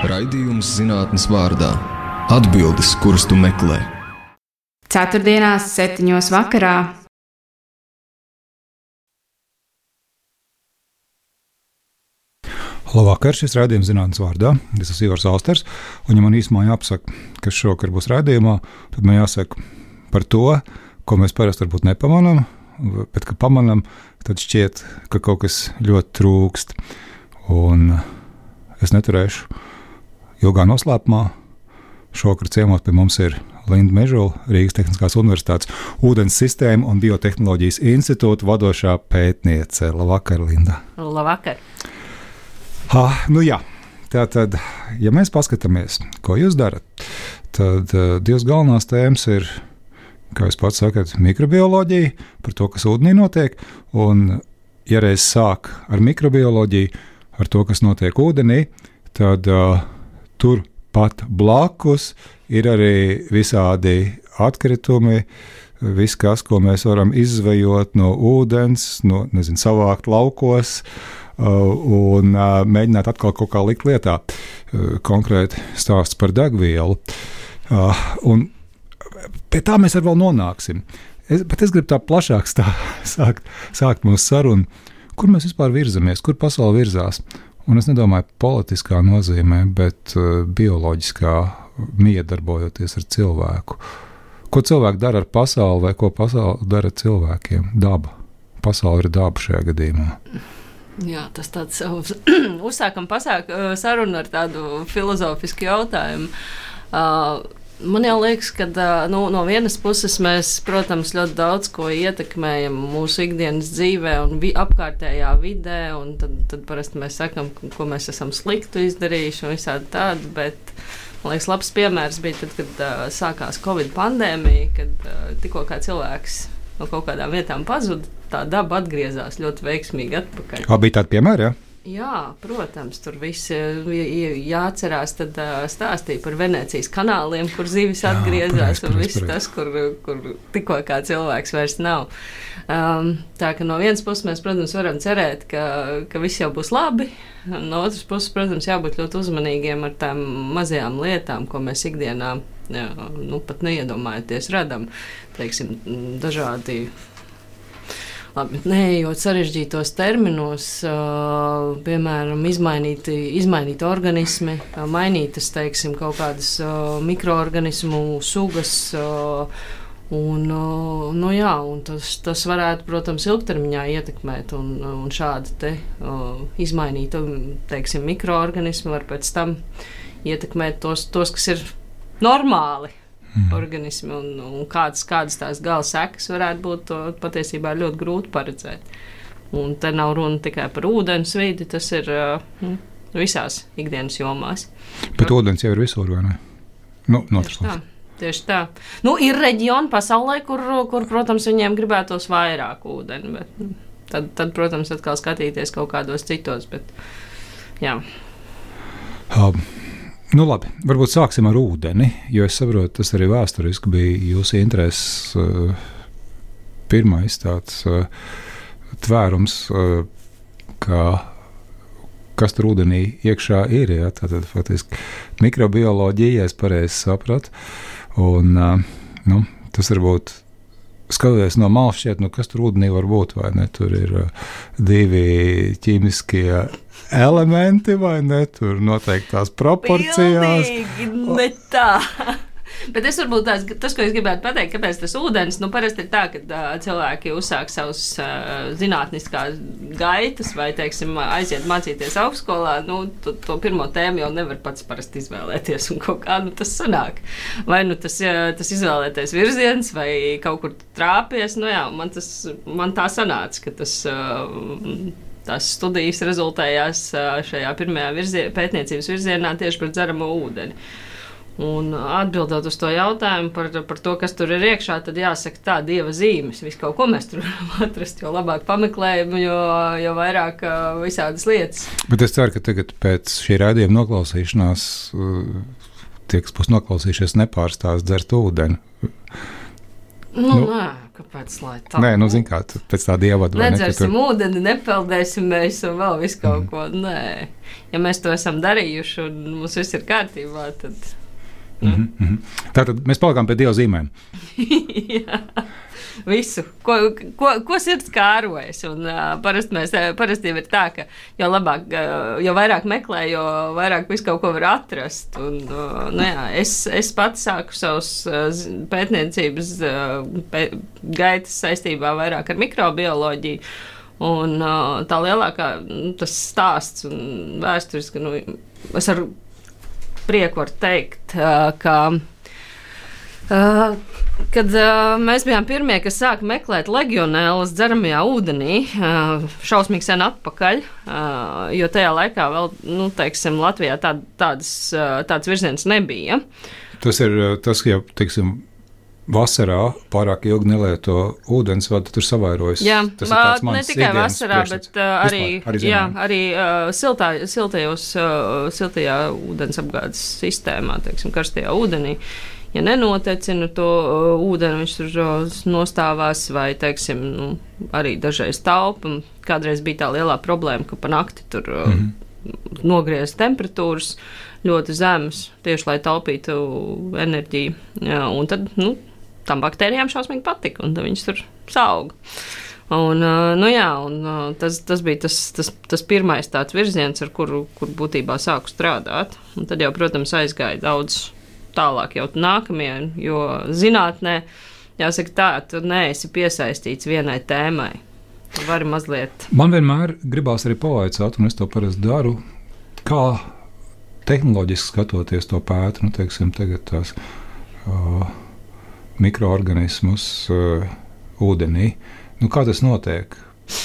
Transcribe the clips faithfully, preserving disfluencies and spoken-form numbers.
Raidījums zinātnes vārdā. Atbildes, kuras tu meklē. Ceturtdienās, septiņos vakarā. Labvakar, šis raidījums zinātnes vārdā. Es esmu Ivars Austers, un ja man īsumā jāpasaka, kas šovakar būs raidījumā, tad man jāsaka par to, ko mēs parasti varbūt nepamanām, bet, ka pamanām, tad šķiet, ka kaut kas ļoti trūkst. Un es neturēšu ilgā noslēpumā. Šovakar ciemos pie mums ir Linda Mežula, Rīgas Tehniskās Universitātes ūdens sistēmu un biotehnoloģijas institūta vadošā pētniece. Labvakar, Linda. Labvakar. Ha, nu jā, tātad, ja mēs paskatāmies, ko jūs darat, tad uh, divas galvenās tēmas ir, kā jūs pats sakat, mikrobioloģija, par to, kas ūdenī notiek, un ja reiz sāk ar mikrobioloģiju, ar to, kas notiek ūdenī, tad uh, tur pat blakus ir arī visādi atkritumi, viss, kas, ko mēs varam izzvejot no ūdens, no, nezinu, savākt laukos, Uh, un uh, mēģināt atkal kaut kā likt lietā. Uh, konkrēti stāsts par degvielu. Uh, un pie tā mēs arī vēl nonāksim. Es, bet es gribu tā plašāk stā, sākt, sākt mūsu sarunu. Kur mēs vispār virzamies? Kur pasaule virzās? Un es nedomāju politiskā nozīmē, bet uh, bioloģiskā miedarbojoties ar cilvēku. Ko cilvēki dara ar pasauli vai ko pasauli dara ar cilvēkiem? Daba. Pasaule ir daba šajā gadījumā. Jā, tas tāds uzsākam pasāk sarunu ar tādu filozofisku jautājumu. Uh, man jau liekas, ka uh, nu, no vienas puses mēs, protams, ļoti daudz ko ietekmējam mūsu ikdienas dzīvē un vi- apkārtējā vidē, un tad, tad parasti mēs sakam, ko mēs esam sliktu izdarījuši un visādi tādi, bet man liekas, labs piemērs bija tad, kad uh, sākās Covid pandēmija, kad uh, tikko kā cilvēks no kaut kādām vietām pazuda, tā daba atgriezās ļoti veiksmīgi atpakaļ. Kā bija tādi piemēri, jā? Jā, protams, tur viss jāatcerās, tad uh, stāstīja par Venecijas kanāliem, kur zivis jā, atgriezās, un viss tas, kur, kur tikko kā cilvēks vairs nav. Um, tā ka no vienas puses mēs, protams, varam cerēt, ka, ka viss jau būs labi, no otras puses, protams, jābūt ļoti uzmanīgiem ar tām mazajām lietām, ko mēs ikdienā jā, nu, pat neiedomājoties radam, teiksim, dažādi. Labi, neejot sarežģītos terminos, uh, piemēram, izmainīti, izmainīti organismi, uh, mainītas, teiksim, kaut kādas uh, mikroorganismu sugas, uh, un, uh, nu jā, un tas, tas varētu, protams, ilgtermiņā ietekmēt, un, un šādi te uh, izmainīti, teiksim, mikroorganismi var pēc tam ietekmēt tos, tos kas ir normāli. Mm. Organismi un, un kādas, kādas tās gala sekas varētu būt, to patiesībā ļoti grūti paredzēt. Un te nav runa tikai par ūdens vidi, tas ir uh, visās ikdienas jomās. Bet no, ūdens jau ir visur, vai ne? Nu, tieši tā, tieši tā. Nu, ir reģioni pasaulē, kur, kur, protams, viņiem gribētos vairāk ūdeni, bet tad, tad, protams, atkal skatīties kaut kādos citos, bet jā. Um. Nu labi, varbūt sāksim ar ūdeni, jo es saprotu, tas arī vēsturiski bija jūsu intereses uh, pirmais tāds uh, tvērums, uh, kā, kas tur ūdenī iekšā ir, ja? Tātad faktiski mikrobioloģija, ja es pareizi sapratu, un uh, nu, tas varbūt skatoties no malas šķiet, nu kas tur ūdenī var būt, vai ne, tur ir uh, divi ķīmiskie elementi, vai ne, tur noteikti tās proporcijās. Pilnīgi ne tā. Bet es varbūt tās, tas, ko es gribētu pateikt, kāpēc tas ūdens, nu parasti ir tā, ka uh, cilvēki uzsāk savus uh, zinātniskās gaitas vai, teiksim, aiziet mācīties augstskolā, nu, to, to pirmo tēmu jau nevar pats parasti izvēlēties un kaut kā, nu, tas sanāk. Vai, nu, tas, uh, tas izvēlēties virziens vai kaut kur trāpies, nu jā, man tas, man tā sanāca, ka tas, uh, tās studijas rezultējās uh, šajā pirmajā virzien, pētniecības virzienā tieši par dzeramo ūdeni. Un atbildot uz to jautājumu par, par to, kas tur ir iekšā, tad jāsaka tā, dieva zīmes. Visu kaut ko mēs tur varam atrast, jo labāk pameklējam, jo, jo vairāk uh, visādas lietas. Bet es ceru, ka tagad pēc šī raidījuma noklausīšanās tie, kas būs noklausījušies, nepārstās dzert ūdeni. Nu, nu, nē, Kāpēc, lai tā? Nē, nu, zin kā, pēc tāda ievada. Nedzersim ne, tur... ūdeni, nepeldēsimies un vēl visu kaut mm. ko. Nē, ja mēs to esam darījuši un mums viss ir kārtībā, tad... Mm -hmm, mm -hmm. Tātad mēs palikām pie Dieva zīmēm. Jā, visu, ko, ko, ko sirds kārojas. Un, uh, parasti, mēs, parasti ir tā, ka jo labāk, uh, jo vairāk meklē, jo vairāk visu kaut ko var atrast. Un, uh, nu jā, es, es pats sāku savus uh, pētniecības uh, pē, gaitas saistībā vairāk ar mikrobioloģiju. Un uh, tā lielākā nu, tas stāsts un vēstures, ka nu, es ar prieku varu teikt, uh, ka Uh, kad uh, mēs bijām pirmie, kas sāka meklēt legionēlas dzeramajā ūdenī, uh, šausmīgi sen atpakaļ, uh, jo tajā laikā vēl, nu, teiksim, Latvijā tā, tādas, uh, tāds virziens nebija. Tas ir tas, ja, teiksim, vasarā pārāk ilgi nelieto ūdens, vai tur savairojas? Jā, tas ir tāds mans ne tikai vasarā, priekšstats. bet uh, arī, Vispār, arī, jā, arī uh, siltā, siltajos, uh, siltajā ūdens apgādes sistēmā, teiksim, karstajā ūdenī. Ja nenotecina to uh, ūdeni, viņš tur uh, nostāvās vai, teiksim, nu, arī dažreiz taupa. Kādreiz bija tā lielā problēma, ka pa nakti tur uh, mm -hmm. nogriez temperatūras ļoti zemes, tieši lai taupītu enerģiju. Jā, un tad, nu, tam baktērijām šausmīgi patika, un tad viņas tur sauga. Un, uh, nu jā, un uh, tas, tas bija tas, tas, tas pirmais tāds virziens, ar kuru, kur būtībā sāku strādāt. Un tad jau, protams, aizgāja daudz tālāk jau nākamie, jo zinātnē, jāsaka tā, tu neesi piesaistīts vienai tēmai. Tu vari mazliet... Man vienmēr gribās arī pavaicāt, un es to parasti daru, kā tehnoloģiski skatoties to pētu, nu, teiksim, tagad tās uh, mikroorganismus uh, ūdenī. Nu, kā tas notiek?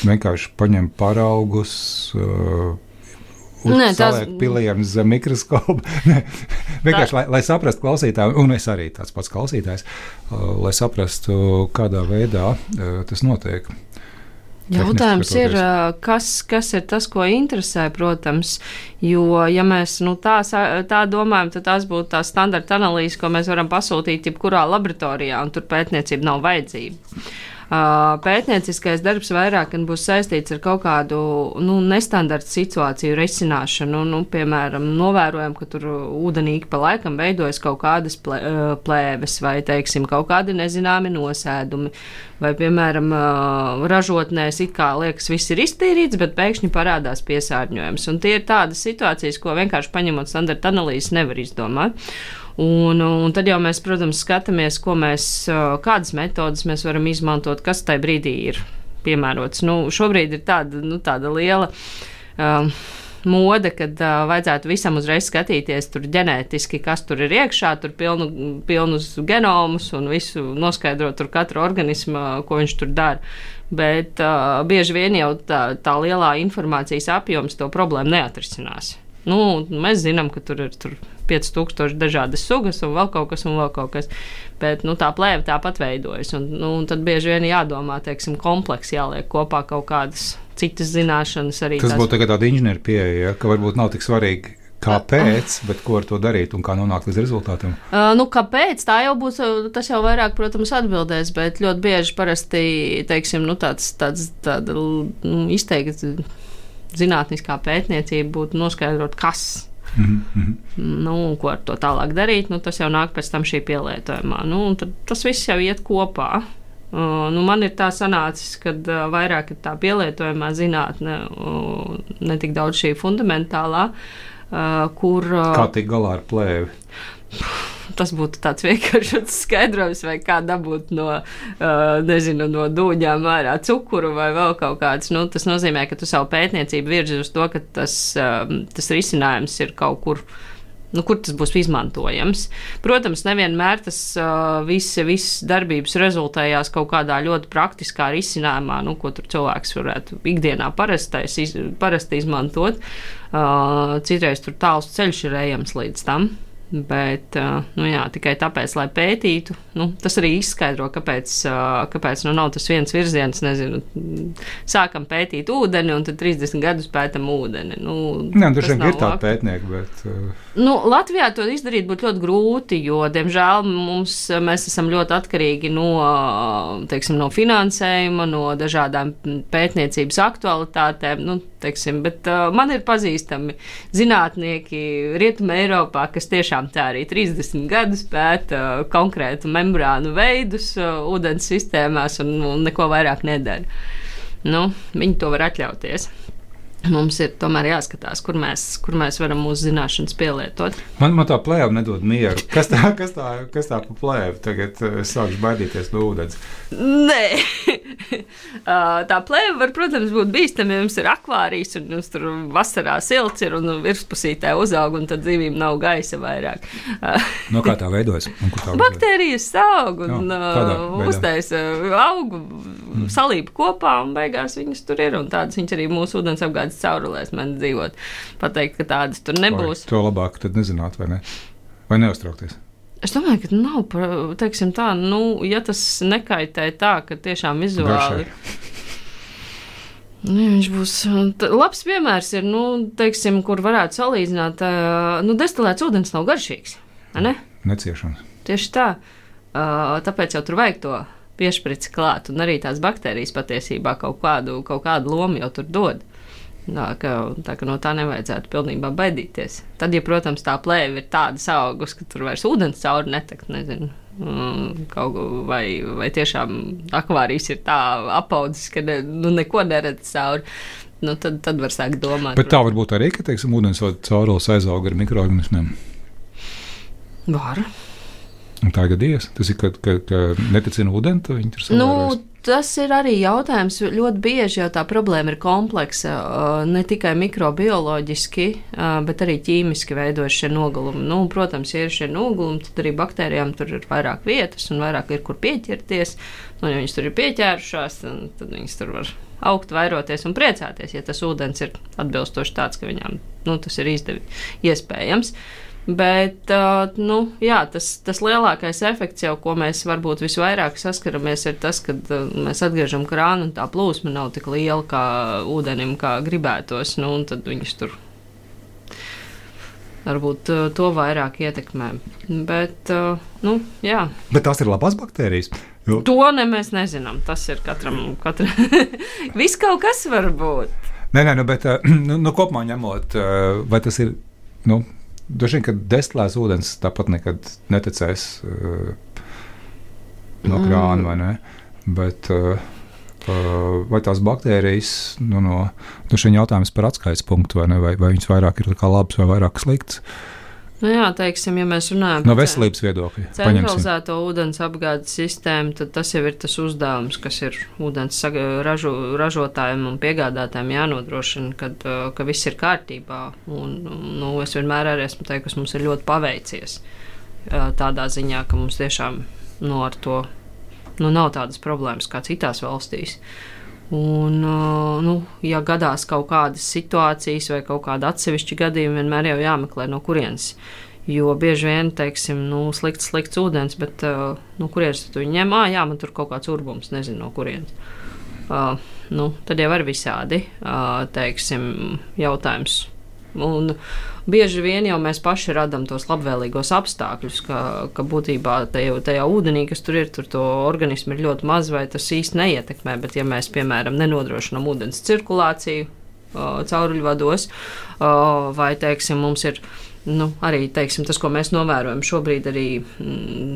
Vienkārši paņem paraugus, uh, Nē, tās... pilienas zem mikroskopa. Vienkārši, tā... lai, lai saprastu klausītāju, un es arī tāds pats klausītājs, uh, lai saprastu, kādā veidā uh, tas notiek. Jautājums ir, kas, kas ir tas, ko interesē, protams, jo, ja mēs nu, tā, tā domājam, tad tās būtu tās standarta analīzes, ko mēs varam pasūtīt jebkurā laboratorijā, un tur pētniecība nav vajadzība. Pētnieciskais darbs vairāk būs saistīts ar kaut kādu nu, nestandarta situāciju risināšanu. Nu, piemēram, novērojam, ka tur ūdenī pa laikam veidojas kaut kādas plēves vai, teiksim, kaut kādi nezināmi nosēdumi. Vai, piemēram, ražotnēs it kā liekas viss ir iztīrīts, bet pēkšņi parādās piesārņojums. Un tie ir tādas situācijas, ko vienkārši paņemot standarta analīzes nevar izdomāt. Un, un tad jau mēs, protams, skatāmies, ko mēs, kādas metodas mēs varam izmantot, kas tajā brīdī ir piemērots. Nu, šobrīd ir tāda, nu, tāda liela uh, mode, kad uh, vajadzētu visam uzreiz skatīties tur ģenētiski, kas tur ir iekšā, tur pilnu, pilnus genomus un visu noskaidrot tur katru organismu, ko viņš tur dara. Bet uh, bieži vien jau tā, tā lielā informācijas apjoms to problēmu neatrisinās. Nu, mēs zinām, ka tur ir tur pieci tūkstoši dažādas sugas un vēl kaut kas, un vēl kaut kas. Bet nu, tā plēve tāpat veidojas. Un, nu, un tad bieži vien jādomā, teiksim, kompleksi jāliek kopā kaut kādas citas zināšanas. Arī tas tās... būtu tagad tāda inženieru pieeja, ja, ka varbūt nav tik svarīgi, kāpēc, bet ko ar to darīt un kā nonākt līdz rezultātiem? Uh, nu, kāpēc? Tā jau būs, tas jau vairāk, protams, atbildēs, bet ļoti bieži parasti, teiksim, nu, tāds, tāds, tāda nu, izteikti zinātniskā pētniecība būtu noskaidrot, kas. Mm-hmm. Nu, ko ar to tālāk darīt, nu, tas jau nāk pēc tam šī pielietojumā. Nu, tad tas viss jau iet kopā. Uh, nu, man ir tā sanācis, ka uh, vairāk ir tā pielietojumā zinātne, uh, ne tik daudz šī fundamentālā, uh, kur... Uh, kā tik galā ar plēvi? Tas būtu tāds vienkāršs skaidrojums, vai kā dabūt no, uh, nezinu, no dūņām ārā cukuru vai vēl kaut kāds. Nu, tas nozīmē, ka tu savu pētniecību virzi uz to, ka tas, uh, tas risinājums ir kaut kur, nu, kur tas būs izmantojams. Protams, nevienmēr tas uh, viss, viss darbības rezultējās kaut kādā ļoti praktiskā risinājumā, nu, ko tur cilvēks varētu ikdienā parastais, iz, parasti izmantot. Uh, citreiz tur tāls ceļš ir ejams līdz tam. Bet, nu jā, tikai tāpēc, lai pētītu, nu, tas arī izskaidro, kāpēc, kāpēc nu, nav tas viens virziens, nezinu, sākam pētīt ūdeni un tad trīsdesmit gadus pētam ūdeni. Nu, Nē, tas ir tādi pētnieki, bet... Nu, Latvijā to izdarīt būtu ļoti grūti, jo, diemžēl, mums, mēs esam ļoti atkarīgi no, teiksim, no finansējuma, no dažādām pētniecības aktualitātēm, nu, teiksim, bet uh, man ir pazīstami zinātnieki Rietumē Eiropā, kas tiešām tā arī trīsdesmit gadus pēta uh, konkrētu membrānu veidus uh, ūdens sistēmās un, un neko vairāk nedara. Nu, viņi to var atļauties. Mums ir tomēr jāskatās, kur mēs, kur mēs varam mūsu zināšanas pielietot. Man, man tā plēva nedod mieru. Kas tā, kas tā, kas tā pa plēvu? Tagad es sākšu baidīties no ūdens. Nē. Tā plēva var, protams, būt bīstama, ja jums ir akvārijas un jums tur vasarā silts ir un virspusītē uzaug un tad zivīm nav gaisa vairāk. No kā tā veidojas? Baktērijas aug un uztaisa augu, mm. salība kopā un beigās viņas tur ir un tādas viņas arī mūsu ūdens apgādes caurulēs man dzīvot. Pateikt, ka tādas tur nebūs. Vai to labāk tad nezināt, vai ne? Vai neuztraukties? Es domāju, ka nav, teiksim tā, nu, ja tas nekaitē tā, ka tiešām vizuāli... Nu, viņš būs... Tā, labs piemērs ir, nu, teiksim, kur varētu salīdzināt, nu, destilēts ūdens nav garšīgs, ne? Neciešams. Tieši tā. Tāpēc jau tur vajag to piešprici klāt, un arī tās baktērijas patiesībā kaut kādu, kaut kādu lomu jau tur dod. Tā ka, tā ka no tā nevajadzētu pilnībā baidīties. Tad, ja, protams, tā plēve ir tāda augus, ka tur vairs ūdens cauri netakt, nezinu, kaut, vai, vai tiešām akvārijas ir tā apaudzis, ka ne, nu, neko neredz cauri, nu, tad, tad var sākt domāt. Bet tā var būt arī, ka, teiksim, ūdensvada caurules aizaug ar mikroorganismiem? Var. Un tā ir gadījies? Tas ir, ka, ka, ka neticina ūdeni, to viņi tur savērojas? Nu, tas ir arī jautājums. Ļoti bieži jau tā problēma ir kompleksa, ne tikai mikrobioloģiski, bet arī ķīmiski veidojas šie nogulumi. Nu, protams, ja ir šie nogulumi, tad arī baktērijām tur ir vairāk vietas un vairāk ir kur pieķerties. Nu, ja viņas tur ir pieķērušās, tad viņas tur var augt, vairoties un priecāties, ja tas ūdens ir atbilstoši tāds, ka viņām nu, tas ir izdevi, iespējams. Bet nu, jā, tas, tas lielākais efekts, jau, ko mēs varbūt visvairāk saskaramies, ir tas, ka mēs atgriežam krānu un tā plūsma nav tik liela kā ūdenim, kā gribētos. Nu, un tad viņas tur varbūt to vairāk ietekmē. Bet, nu, jā. Bet tās ir labās baktērijas? Jo. To ne mēs nezinām. Tas ir katram. katram. Viss kaut kas var būt. Nē, nē, nu, bet nu, nu, kopumā ņemot, vai tas ir. Nu, Dažiem, ka destilēts ūdens tāpat nekad neticēs uh, no krāna, vai ne? Bet uh, uh, vai tās baktērijas, nu, no, no šiem jautājums par atskaites punktu, vai ne? Vai, vai viņas vairāk ir kā labs vai vairāk slikts? Nu jā, teiksim, ja mēs runājam no veselības viedokļa, centralizēto ūdens apgādes sistēmu, tad tas jau ir tas uzdevums, kas ir ūdens ražo, ražotājiem un piegādātājiem jānodrošina, kad, ka viss ir kārtībā. Un, nu, es vienmēr arī esmu teikusi, mums ir ļoti paveicies tādā ziņā, ka mums tiešām nu, ar to nu, nav tādas problēmas kā citās valstīs. Un, nu, ja gadās kaut kādas situācijas vai kaut kāda atsevišķa gadījuma, vienmēr jau jāmeklē no kurienes. Jo bieži vien, teiksim, nu, slikts, slikts ūdens, bet no kurienes tu viņu ņem? Ā, jā, man tur kaut kāds urbums, nezinu no kurienes. Uh, nu, tad jau var visādi, uh, teiksim, jautājums. Un bieži vien jau mēs paši radam tos labvēlīgos apstākļus, ka, ka būtībā tajā, tajā ūdenī, kas tur ir, tur to organismu ir ļoti maz vai tas īsti neietekmē, bet ja mēs, piemēram, nenodrošinām ūdens cirkulāciju uh, cauruļvados, uh, vai, teiksim, mums ir, nu, arī, teiksim, tas, ko mēs novērojam šobrīd arī mm,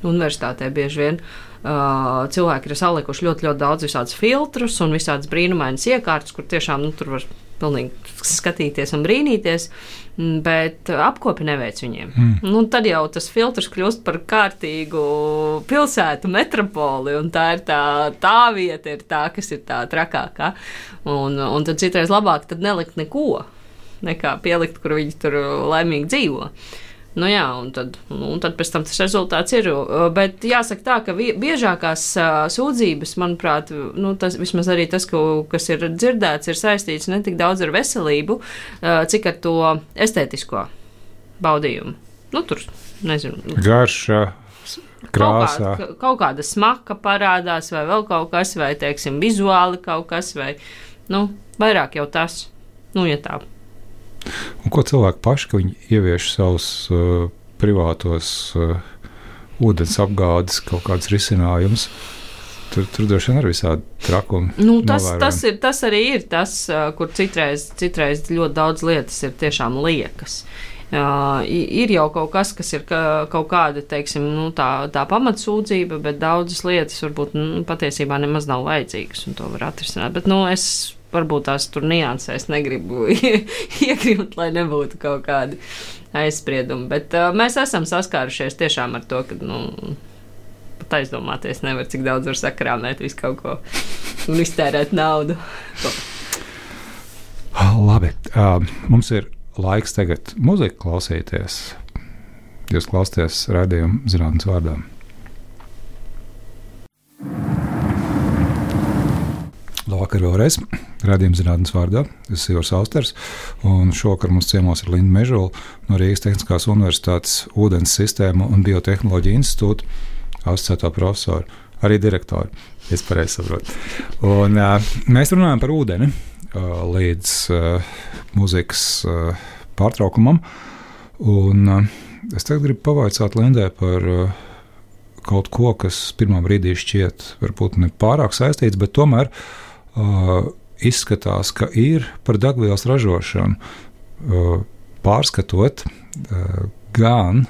universitātē bieži vien, uh, cilvēki ir salikuši ļoti, ļoti daudz visādus filtrus un visādas brīnumainas iekārtas, kur tiešām, nu, tur var pilnīgi skatīties un brīnīties, bet apkopi neveic viņiem. Mm. Nu, tad jau tas filtrs kļūst par kārtīgu pilsētu metropoli, un tā ir tā, tā vieta, ir tā, kas ir tā trakākā. Un, un tad citreiz labāk tad nelikt neko, nekā pielikt, kur viņi tur laimīgi dzīvo. Nu jā, un tad, un tad pēc tam tas rezultāts ir. Bet jāsaka tā, ka biežākās sūdzības, manuprāt, nu, tas, vismaz arī tas, ko, kas ir dzirdēts, ir saistīts ne tik daudz ar veselību, cik ar to estētisko baudījumu. nu, tur, nezinu. Garša, krāsā. Kaut, kā, kaut kāda smaka parādās, vai vēl kaut kas, vai, teiksim, vizuāli kaut kas, vai, nu, vairāk jau tas, nu, ja tā. Un ko cilvēki paši, ka viņi ievieš savus uh, privātos uh, ūdens apgādes kaut kādus risinājumus? Tur, tur droši vien ir visādi trakumi. Nu, tas, tas, ir, tas arī ir tas, kur citreiz, citreiz ļoti daudz lietas ir tiešām liekas. Uh, ir jau kaut kas, kas ir ka, kaut kāda, teiksim, nu, tā, tā pamatsūdzība, bet daudzas lietas varbūt nu, patiesībā nemaz nav vajadzīgas, un to var atrisināt. Bet, nu, es varbūt tās tur niansēs negribu iegrimt, lai nebūtu kaut kādi aizspriedumi. Bet uh, mēs esam saskārušies tiešām ar to, ka, nu, pat aizdomāties nevar, cik daudz var sakrāmēt visu kaut ko un iztērēt naudu. Labi, uh, mums ir laiks tagad muziku klausīties. Jūs klausāties raidījumu Zinātnes vārdā. Labvakar vēlreiz. Raidījums Zinātnes vārdā. Es esmu Ivars Austers, un šovakar mums ciemos ir Linda Mežula no Rīgas Tehniskās Universitātes ūdens sistēmu un biotehnoloģiju institūta asociētā profesora, arī direktora, es pareizi saprotu. Un, uh, mēs runājam par ūdeni uh, līdz uh, muzikas uh, pārtraukumam. Un, uh, es tagad gribu pavaicāt Lindai par uh, kaut ko, kas pirmā brīdī šķiet varbūt ne pārāk saistīts, bet tomēr uh, izskatās, ka ir par degvielas ražošanu. Uh, pārskatot uh, gan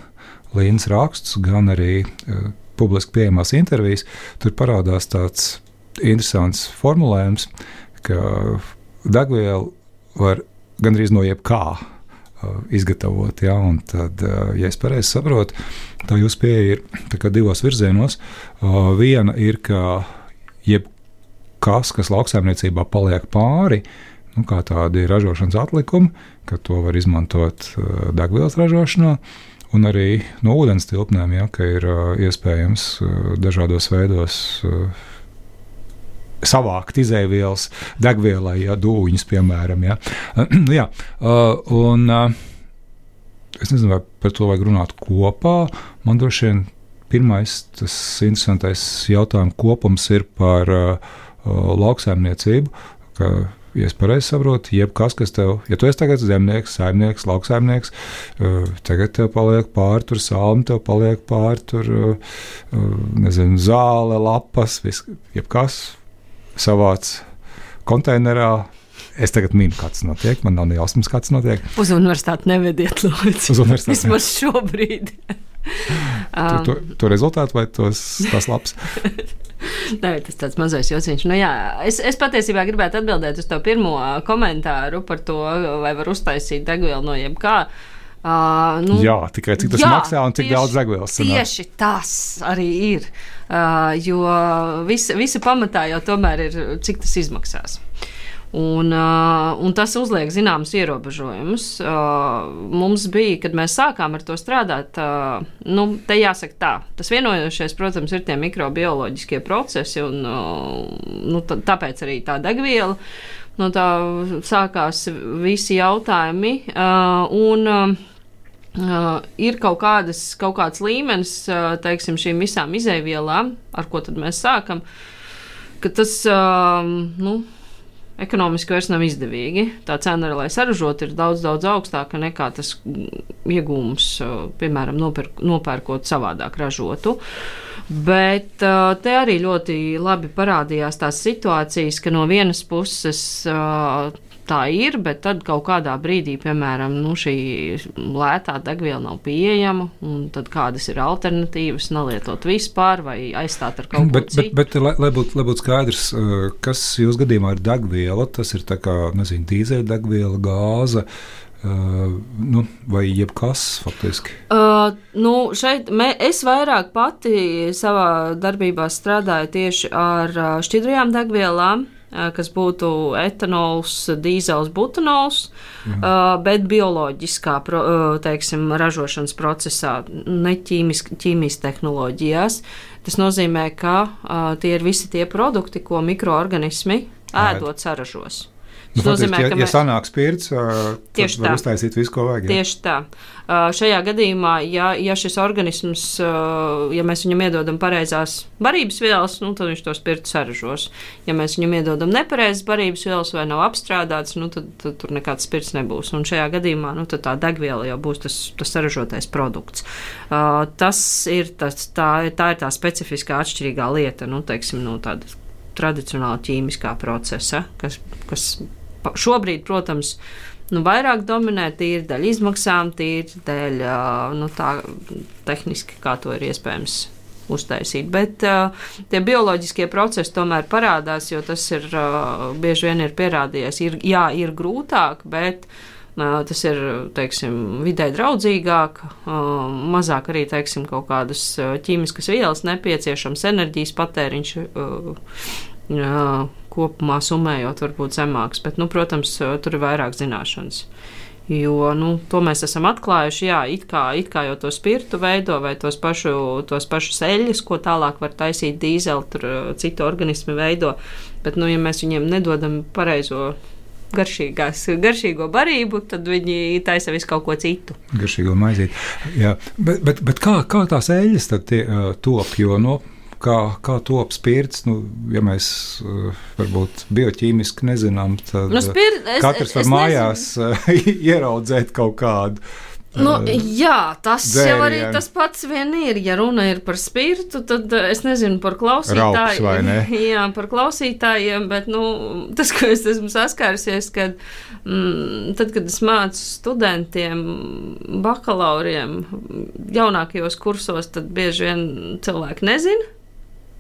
Lindas rakstus, gan arī uh, publiski pieejamās intervijas, tur parādās tāds interesants formulējums, ka degvielu var gandrīz no jebkā uh, izgatavot. Ja? Un tad, uh, ja es pareizi saprotu, tā jūsu pieeja ir tā kā divos virzienos. Uh, viena ir, ka jebkas, kas lauksaimniecībā paliek pāri, nu, kā tādi ražošanas atlikumi, ka to var izmantot uh, degvielas ražošanā. Un arī no ūdens tilpnēm, ja, ka ir uh, iespējams uh, dažādos veidos uh, savākt izēvielas degvielai, ja, dūņus, piemēram. Ja. Jā, uh, un uh, es nezinu, vai par to vajag runāt kopā. Man droši vien pirmais tas interesantais jautājums kopums ir par uh, uh, lauksaimniecību, ka, ja es pareizi saprotu, jebkas, kas tev, ja tu esi tagad zemnieks, saimnieks, lauksaimnieks, uh, tagad tev paliek pāri, tur salmi, tev paliek pāri, tur, uh, nezinu, zāle, lapas, viss, jebkas savāc konteinerā. Es tagad minu, kāds notiek, man nav nejausmas, kāds notiek. Uz universitāti nevediet, lūdzu. Uz universitāti. Vismaz šobrīd. um. to, to rezultātu vai tos, tās lapas? Nē, tas tāds mazais jociņš. Nu, jā, es, es patiesībā gribētu atbildēt uz to pirmo komentāru par to, vai var uztaisīt degvielu no jebkā. Uh, nu, jā, tikai cik tas jā, maksā un cik tieši, daudz degvielas sanāk. Tieši tas arī ir, uh, jo visa, visa pamatā jau tomēr ir, cik tas izmaksās. Un, uh, un tas uzliek zināmas ierobežojumus. Uh, mums bija, kad mēs sākām ar to strādāt, uh, nu, te jāsaka tā, tas vienojošais, protams, ir tie mikrobioloģiskie procesi, un uh, nu, t- tāpēc arī tā degviela, no tā sākās visi jautājumi, uh, un uh, uh, ir kaut, kādas, kaut kāds līmenis, uh, teiksim, šīm visām izēvielām, ar ko tad mēs sākam, ka tas, uh, nu, ekonomiski vairs nav izdevīgi. Tā cena, lai saražot, ir daudz, daudz augstāka nekā tas iegūms, piemēram, nopirk, nopērkot savādāk ražotu. Bet te arī ļoti labi parādījās tās situācijas, ka no vienas puses tā ir, bet tad kaut kādā brīdī, piemēram, nu, šī lētā degviela nav pieejama, un tad kādas ir alternatīvas, nelietot vispār vai aizstāt ar kaut ko bet, citu. Bet, bet lai, lai būtu būt skaidrs, kas jūs gadījumā ir degviela, tas ir tā kā, nezinu, dīzeļdegviela, gāze, Uh, nu, vai jebkas faktiski? Uh, nu, šeit mē, es vairāk pati savā darbībā strādāju tieši ar šķidrajām degvielām, uh, kas būtu etanols, dīzels, butanols, uh, bet bioloģiskā pro, uh, teiksim, ražošanas procesā, ne ķīmijas tehnoloģijās. Tas nozīmē, ka uh, tie ir visi tie produkti, ko mikroorganismi ēdot saražos. Nu, nozīmē, ja, ja mē... sanāk spirts, tad var uztaisīt visu, ko vajag. Ja? Tieši tā. Šajā gadījumā, ja, ja šis organisms, ja mēs viņam iedodam pareizās barības vielas, nu, tad viņš to spirtu saražos. Ja mēs viņam iedodam nepareizas barības vielas vai nav apstrādāts, nu, tad, tad tur nekāds spirts nebūs. Un šajā gadījumā nu, tā degviela jau būs tas, tas saražotais produkts. Tas ir tas, tā, tā ir tā specifiskā atšķirīgā lieta, nu, teiksim, no tāda tradicionāla ķīmiskā procesa, kas, kas šobrīd, protams, nu, vairāk dominē tīri dēļ izmaksām, tīri dēļ nu, tā tehniski, kā to ir iespējams uztaisīt. Bet uh, tie bioloģiskie procesi tomēr parādās, jo tas ir uh, bieži vien ir pierādījies. Ir, jā, ir grūtāk, bet uh, tas ir, teiksim, vidē draudzīgāk, uh, mazāk arī, teiksim, kaut kādas ķīmiskas vielas nepieciešams, enerģijas patēriņš uh, uh, kopumā summējot varbūt zemāks, bet, nu, protams, tur ir vairāk zināšanas. Jo, nu, to mēs esam atklājuši, jā, it kā, it kā jau to spirtu veido vai tos pašu, tos pašus eļļus, ko tālāk var taisīt dīzeli, tur citu organismi veido, bet, nu, ja mēs viņiem nedodam pareizo garšīgo barību, tad viņi taisa visu kaut ko citu. Garšīgo maizīt, jā, bet, bet, bet kā, kā tās eļļas tad tie, uh, top, jo, no Kā, kā top spirts, nu, ja mēs uh, varbūt bioķīmiski nezinām, tad nu, spir, es, katrs var es mājās uh, ieraudzēt kaut kādu. Nu, jā, tas dzērienu. Jau arī tas pats vien ir. Ja runa ir par spirtu, tad es nezinu par klausītājiem. Raups vai ne? Jā, par klausītājiem, bet nu, tas, ko es esmu saskārusies, kad mm, tad, kad es mācu studentiem, bakalauriem, jaunākajos kursos, tad bieži vien cilvēki nezina.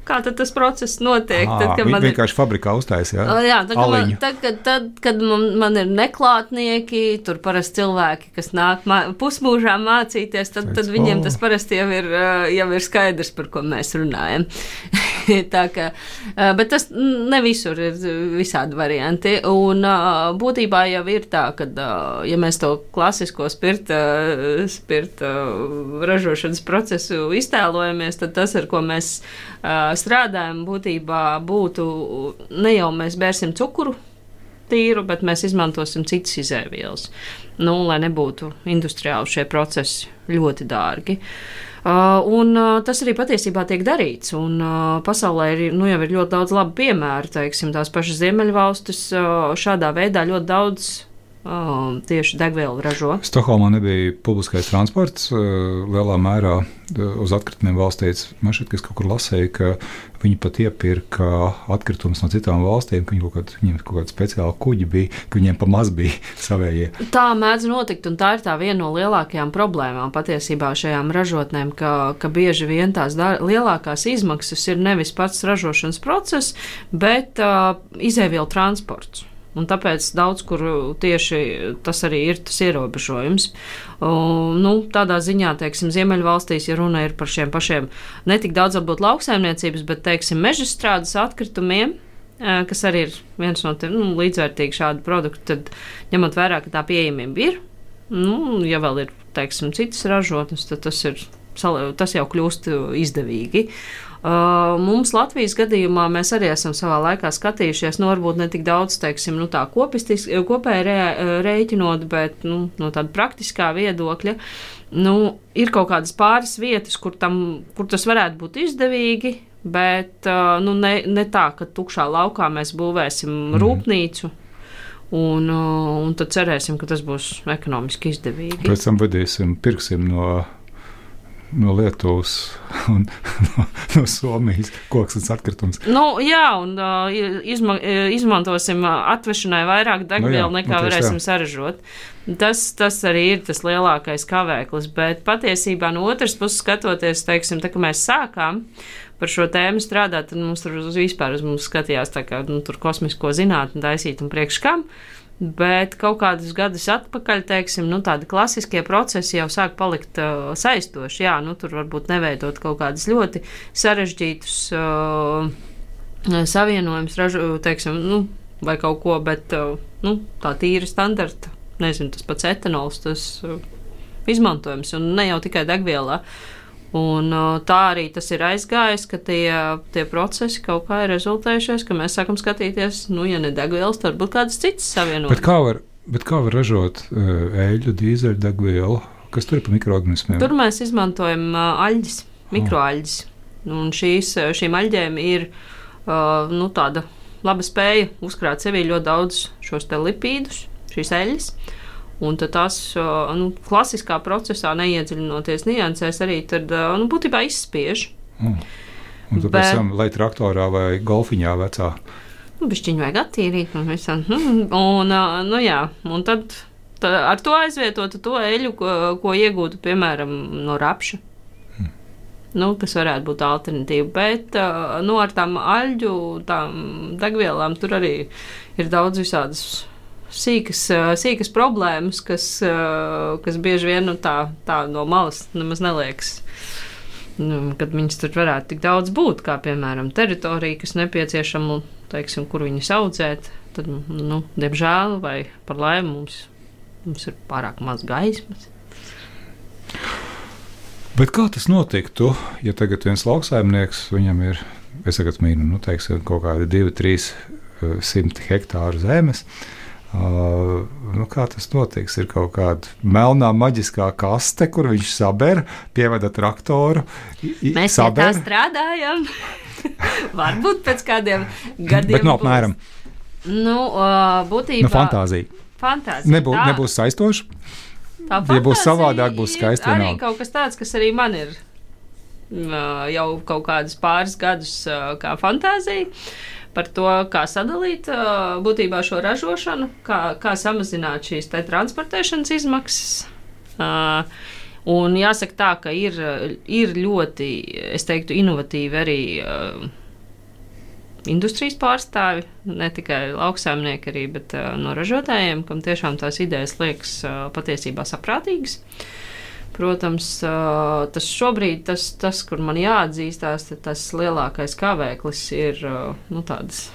Kā tad tas process notiek? À, tad, kad viņi man vienkārši ir... fabrikā uztaisa, jā? Jā, tad, kad man, tad, kad, tad, kad man, man ir neklātnieki, tur parasti cilvēki, kas nāk mā, pusmūžā mācīties, tad, tad viņiem tas parasti jau ir, jau ir skaidrs, par ko mēs runājam. Tā kā, bet tas ne visur ir visādi varianti. Un būtībā jau ir tā, ka, ja mēs to klasisko spirta, spirta ražošanas procesu iztēlojamies, tad tas, ar ko mēs strādājam, būtībā būtu, ne jau mēs bērsim cukuru tīru, bet mēs izmantosim citas izēvielas, nu, lai nebūtu industriāli šie procesi ļoti dārgi. Uh, un uh, tas arī patiesībā tiek darīts, un uh, pasaulē ir, nu, jau ir ļoti daudz labu piemēru, teiksim, tās pašas Ziemeļvalstis uh, šādā veidā ļoti daudz uh, tieši degvielu ražo. Stokholmā nebija publiskais transports uh, lielā mērā uz atkritumiem valstīts. Man šķiet, ka es kaut kur lasēju, ka viņi pat iepirka atkritumus no citām valstīm, ka viņi kaut kādi, viņiem kaut kādi speciāli kuģi bija, ka viņiem pa maz bija savējie. Tā mēdz notikt, un tā ir tā viena no lielākajām problēmām patiesībā šajām ražotnēm, ka, ka bieži vien tās dar, lielākās izmaksas ir nevis pats ražošanas process, bet uh, izēvielu transports. Un tāpēc daudz kur tieši tas arī ir tas ierobežojums. Uh, nu, tādā ziņā, teiksim, Ziemeļvalstīs, ja runa ir par šiem pašiem ne tik daudz varbūt lauksaimniecības, bet, teiksim, mežstrādes atkritumiem, uh, kas arī ir viens no tiem nu, līdzvērtīgi šādu produktu, tad ņemot vērā, ka tā pieejamība ir, nu, ja vēl ir, teiksim, citas ražotnes, tad tas ir, tas jau kļūst izdevīgi. Uh, mums Latvijas gadījumā mēs arī esam savā laikā skatījušies, nu, varbūt ne tik daudz, teiksim, nu, tā kopistis, kopēji rē, rēķinot, bet, nu, no tāda praktiskā viedokļa, nu, ir kaut kādas pāris vietas, kur, tam, kur tas varētu būt izdevīgi, bet, uh, nu, ne, ne tā, ka tukšā laukā mēs būvēsim mm. rūpnīcu, un, uh, un tad cerēsim, ka tas būs ekonomiski izdevīgi. Pēc tam vadīsim, pirksim no... no Lietuvas un no, no Somijas koksnes atkritums. Nu, jā, un uh, izma, izmantosim atvešanai vairāk degvielu, nu, nekā nu, varēsim jā. saražot. Tas, tas arī ir tas lielākais kavēklis, bet patiesībā no otras puses skatoties, teiksim, tā, ka mēs sākām par šo tēmu strādāt, tad mums tur uz vispār uz mums skatījās tā kā, nu, tur kosmisko zinātni taisīt un priekš kam. Bet kaut kādus gadus atpakaļ, teiksim, nu, tādi klasiskie procesi jau sāk palikt uh, saistoši. Jā, nu, tur varbūt neveidot kaut kādus ļoti sarežģītus uh, savienojumus, ražu, teiksim, nu, vai kaut ko, bet uh, nu, tā tīra standarta, nezinu, tas pats etanols, tas uh, izmantojums, un ne jau tikai degvielā. Un tā arī tas ir aizgājis, ka tie, tie procesi kaut kā ir rezultējušies, ka mēs sākam skatīties, nu, ja ne degvielas, tad varbūt kādas citas savienojums. Bet kā var, bet kā var ražot eļļu, dīzeļu, degvielu? Kas tur ir pa mikroorganismiem? Tur mēs izmantojam aļģis, mikroaļģis. Un šīs, šīm aļģēm ir nu, tāda laba spēja uzkrāt sevī ļoti daudz šos te lipīdus, šīs eļļas. Un tad tās nu, klasiskā procesā neiedziļinoties niansēs arī tad, nu, būtībā izspiež. Mm. Un tad pēc tam, lai traktorā vai golfiņā vecā? Nu, bišķiņu vajag attīrīt. Un, visam. un, nu, jā, un tad tā, ar to aizvietotu to eļu, ko, ko iegūtu, piemēram, no rapša. Mm. Nu, kas varētu būt alternatīva. Bet nu, ar tām aļģu, tām degvielām tur arī ir daudz visādas Sīkas, sīkas problēmas, kas, kas bieži vien nu, tā, tā no malas nemaz neliekas, nu, kad viņas tur varētu tik daudz būt, kā piemēram teritorija, kas nepieciešama, teiksim, kur viņas audzēt, tad, nu, diemžēl vai par laimi mums, mums ir pārāk maz gaismas. Bet kā tas notiktu, ja tagad viens lauksaimnieks, viņam ir, es tagad mīnu, nu, teiksim, kaut kādi divi, trīs simti hektāru zemes, Uh, nu, kā tas notiks? Ir kaut kāda melnā maģiskā kaste, kur viņš saber, pievada traktoru. I, Mēs saber. Pie tā strādājam. Varbūt pēc kādiem gadiem. Bet no apmēram. Nu, uh, būtībā. Nu, fantāzija. Fantāzija. Nebū, tā, nebūs saistoši. Tā fantāzija. Ja būs savādāk, būs skaisti. Arī vienalga. kaut kas tāds, kas arī man ir uh, jau kaut kādus pāris gadus uh, kā fantāzija. Par to, kā sadalīt būtībā šo ražošanu, kā, kā samazināt šīs te transportēšanas izmaksas. Un jāsaka tā, ka ir, ir ļoti, es teiktu, inovatīvi arī industrijas pārstāvi, ne tikai lauksaimnieki arī, bet no ražotājiem, kam tiešām tās idejas liekas patiesībā saprātīgas. Protams, tas šobrīd, tas, tas kur man jāatzīstās, tas lielākais kavēklis ir nu, tādas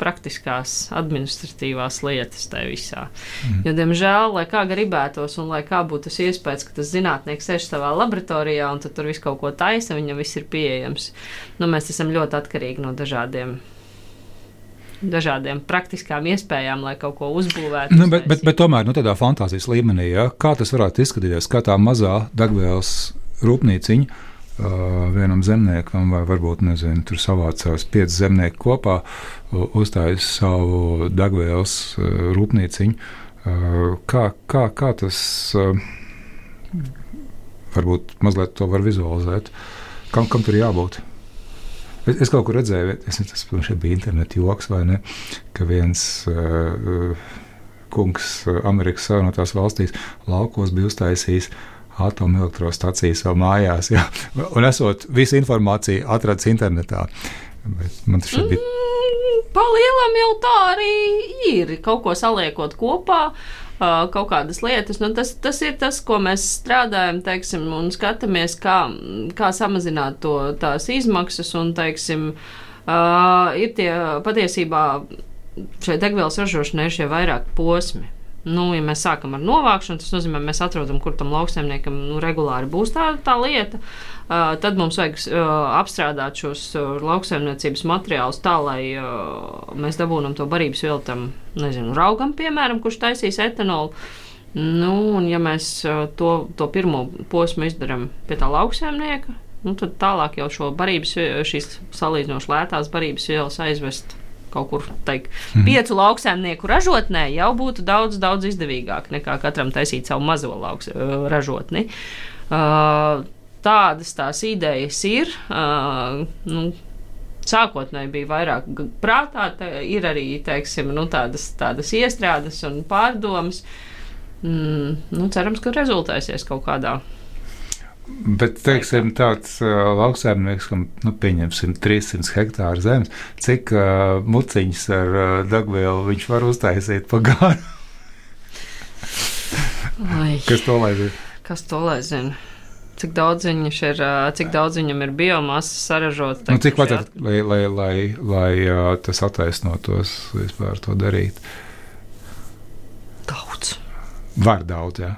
praktiskās administratīvās lietas tajā visā. Mm. Jo, diemžēl, lai kā gribētos un lai kā būtu tas iespējas, ka tas zinātnieks sēž savā laboratorijā un tad tur visu kaut ko taisa, viņam viss ir pieejams. Nu, mēs esam ļoti atkarīgi no dažādiem dažādiem praktiskām iespējām, lai kaut ko uzbūvētu. Nu, bet, bet, bet tomēr nu, tādā fantāzijas līmenī, ja, kā tas varētu izskatīties, kā tā mazā degvielas rūpnīciņa uh, vienam zemniekam, vai varbūt, nezinu, tur savācās pieci zemnieki kopā, uh, uzstājas savu degvielas uh, rūpnīciņu. Uh, kā, kā, kā tas uh, varbūt mazliet to var vizualizēt? Kam, kam tur jābūt? Es, es kaut kur redzēju, es nezinu, tas šeit bija interneta joks vai ne, ka viens uh, kungs Amerikas Savienotās valstīs laukos bija uztaisījis atomelektrostaciju savā mājās, jā, un esot visu informāciju atradis internetā. Bet man tas šeit bija... Mm, pa lielam jau tā arī ir, kaut ko saliekot kopā. Uh, kaut kādas lietas. Nu, tas, tas ir tas, ko mēs strādājam, teiksim, un skatāmies, kā, kā samazināt to, tās izmaksas, un, teiksim, uh, ir tie patiesībā šai degvielas ražošanai ir šie vairāk posmi. Nu, ja mēs sākam ar novākšanu, tas nozīmē, mēs atrodam, kur tam lauksaimniekam nu, regulāri būs tā, tā lieta. Uh, tad mums vajag uh, apstrādāt šos uh, lauksaimniecības materiālus tā, lai uh, mēs dabūnam to barības vielu tam, nezinu, raugam, piemēram, kurš taisīs etanolu. Nu, un ja mēs uh, to, to pirmo posmu izdaram pie tā lauksaimnieka, nu, tad tālāk jau šo barības, šīs salīdzinoši lētās barības vielas aizvest kaut kur, teik, mm. piecu lauksaimnieku ražotnē jau būtu daudz, daudz izdevīgāk nekā katram taisīt savu mazo lauks, uh, ražotni. Uh, Tādas tās idejas ir, uh, nu, sākotnēji bija vairāk prātā, tā, ir arī, teiksim, nu, tādas, tādas iestrādes un pārdomas. Mm, nu, cerams, ka rezultēsies kaut kādā. Bet, teiksim, tāds uh, lauksaimnieks, kam, nu, pieņemsim trīssimts hektāru zemes, cik uh, muciņas ar uh, degvielu viņš var uztaisīt pa garu? Kas to lai zina? Kas to lai zina? Cik daudz, ir, cik daudz viņam ir biomasas saražot? Nu, cik vajadzētu, at... lai, lai, lai, lai uh, tas attaisnotos vispār to darīt? Daudz. Var daudz, jā.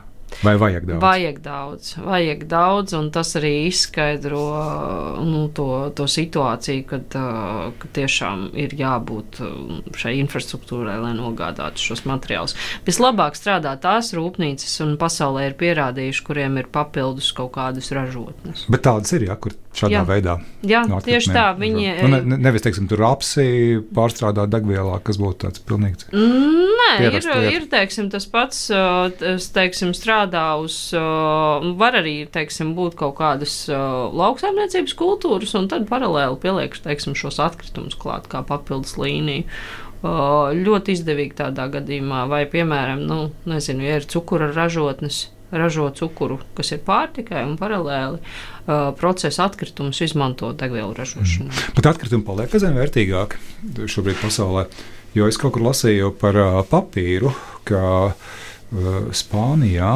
Vai vajag daudz? Vajag daudz, vajag daudz, un tas arī izskaidro nu, to, to situāciju, kad, kad tiešām ir jābūt šai infrastruktūrai, lai nogādātu šos materiālus. Vislabāk strādā tās rūpnīcas, un pasaulē ir pierādījuši, kuriem ir papildus kaut kādas ražotnes. Bet tādas ir, ja, kur šādā jā. veidā. Jā, no tieši tā. Viņi, nu, ne, nevis, teiksim, tur apsi pārstrādāt degvielā, kas būtu tāds pilnīgs. Nē, ir, ir, teiksim, tas pats, es, teiksim, strādā uz, var arī, teiksim, būt kaut kādas lauksaimniecības kultūras, un tad paralēli pieliek, teiksim, šos atkritumus klāt kā papildus līniju. Ļoti izdevīgi tādā gadījumā, vai, piemēram, nu, nezinu, ja ir cukura ražotnes, ražo cukuru, kas ir pārtikai, un paralēli uh, procesa atkritumus izmanto degvielu ražošanā. Mm. Bet atkritumi paliek aizvien vērtīgāki šobrīd pasaulē, jo es kaut kur lasīju par uh, papīru, ka uh, Spānijā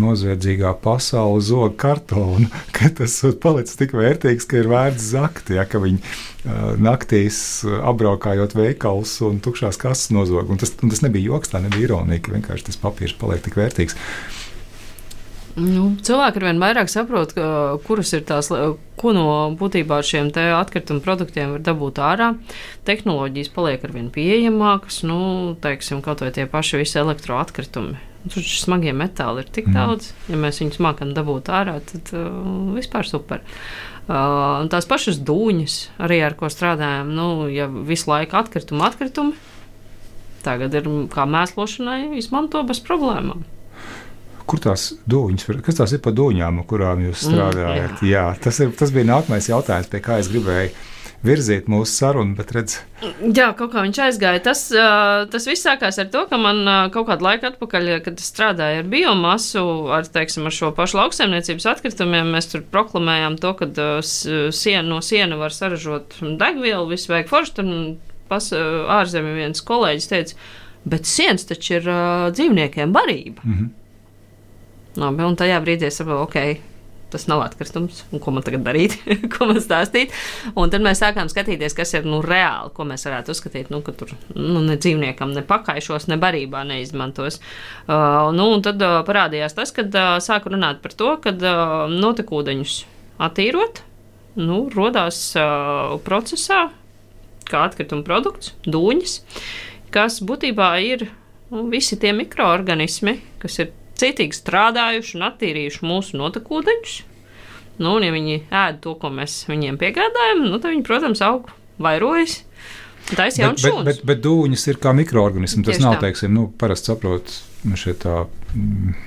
noziedzīgā pasaule zog kartonu, ka tas palicis tik vērtīgs, ka ir vērts zakt, ja, ka viņi uh, naktīs uh, apbraukājot veikals un tukšās kases nozog. Un tas, un tas nebija joks, tā nebija ironija, ka vienkārši tas papīrs paliek tik vērtīgs. Nu, cilvēki ar vien vairāk saprot, ka, kuras ir tās, ko no būtībā šiem te atkritumu produktiem var dabūt ārā. Tehnoloģijas paliek ar vien pieejamākas, nu, teiksim, kaut vai tie paši visi elektroatkritumi. Tur smagie metāli ir tik mm. daudz, ja mēs viņus mākam dabūt ārā, tad uh, vispār super. Uh, tās pašas dūņas, arī ar ko strādājam, nu, ja visu laiku atkritumi, atkritumi, tagad ir kā mēslošanai izmanto bez problēmām. Kur tās dūņas, kas tās ir pa dūņām, kurām jūs strādājat? Mm, jā. Jā, tas, ir, tas bija nākamais jautājums, pie kā es gribēju virzīt mūsu sarunu, bet redz. Jā, kaut kā viņš aizgāja. Tas, tas viss sākās ar to, ka man kaut kādu laiku atpakaļ, kad es strādāju ar biomasu, ar, teiksim, ar šo pašu lauksaimniecības atkritumiem, mēs tur proklamējām to, ka siena, no siena var saražot degvielu, visu vajag forši, tad pas, ārzemē viens kolēģis teica, bet sienas taču ir uh, dzīvniekiem barība. Mm-hmm. Labi, un tajā brīdī es saprotu, ok, tas nav atkritums, un ko man tagad darīt, ko man stāstīt. Un tad mēs sākām skatīties, kas ir nu, reāli, ko mēs varētu uzskatīt, nu, ka tur nu, ne dzīvniekam ne pakaišos, ne barībā neizmantos. Uh, nu, un tad uh, parādījās tas, kad uh, sāku runāt par to, kad uh, notekūdeņus attīrot, nu, rodās uh, procesā, kā atkrituma produkts, dūņas, kas būtībā ir nu, visi tie mikroorganismi, kas ir citīgi strādājuši un attīrījuši mūsu notekūdeņus. Nu, un ja viņi ēd to, ko mēs viņiem piegādājam, nu, tad viņi, protams, aug, vairojas. Tā ir jauns šūns. Bet, bet, bet dūņas ir kā mikroorganismi. Tas Tieši nav, tā. teiksim, nu, parasti saprot, šeit tā mm,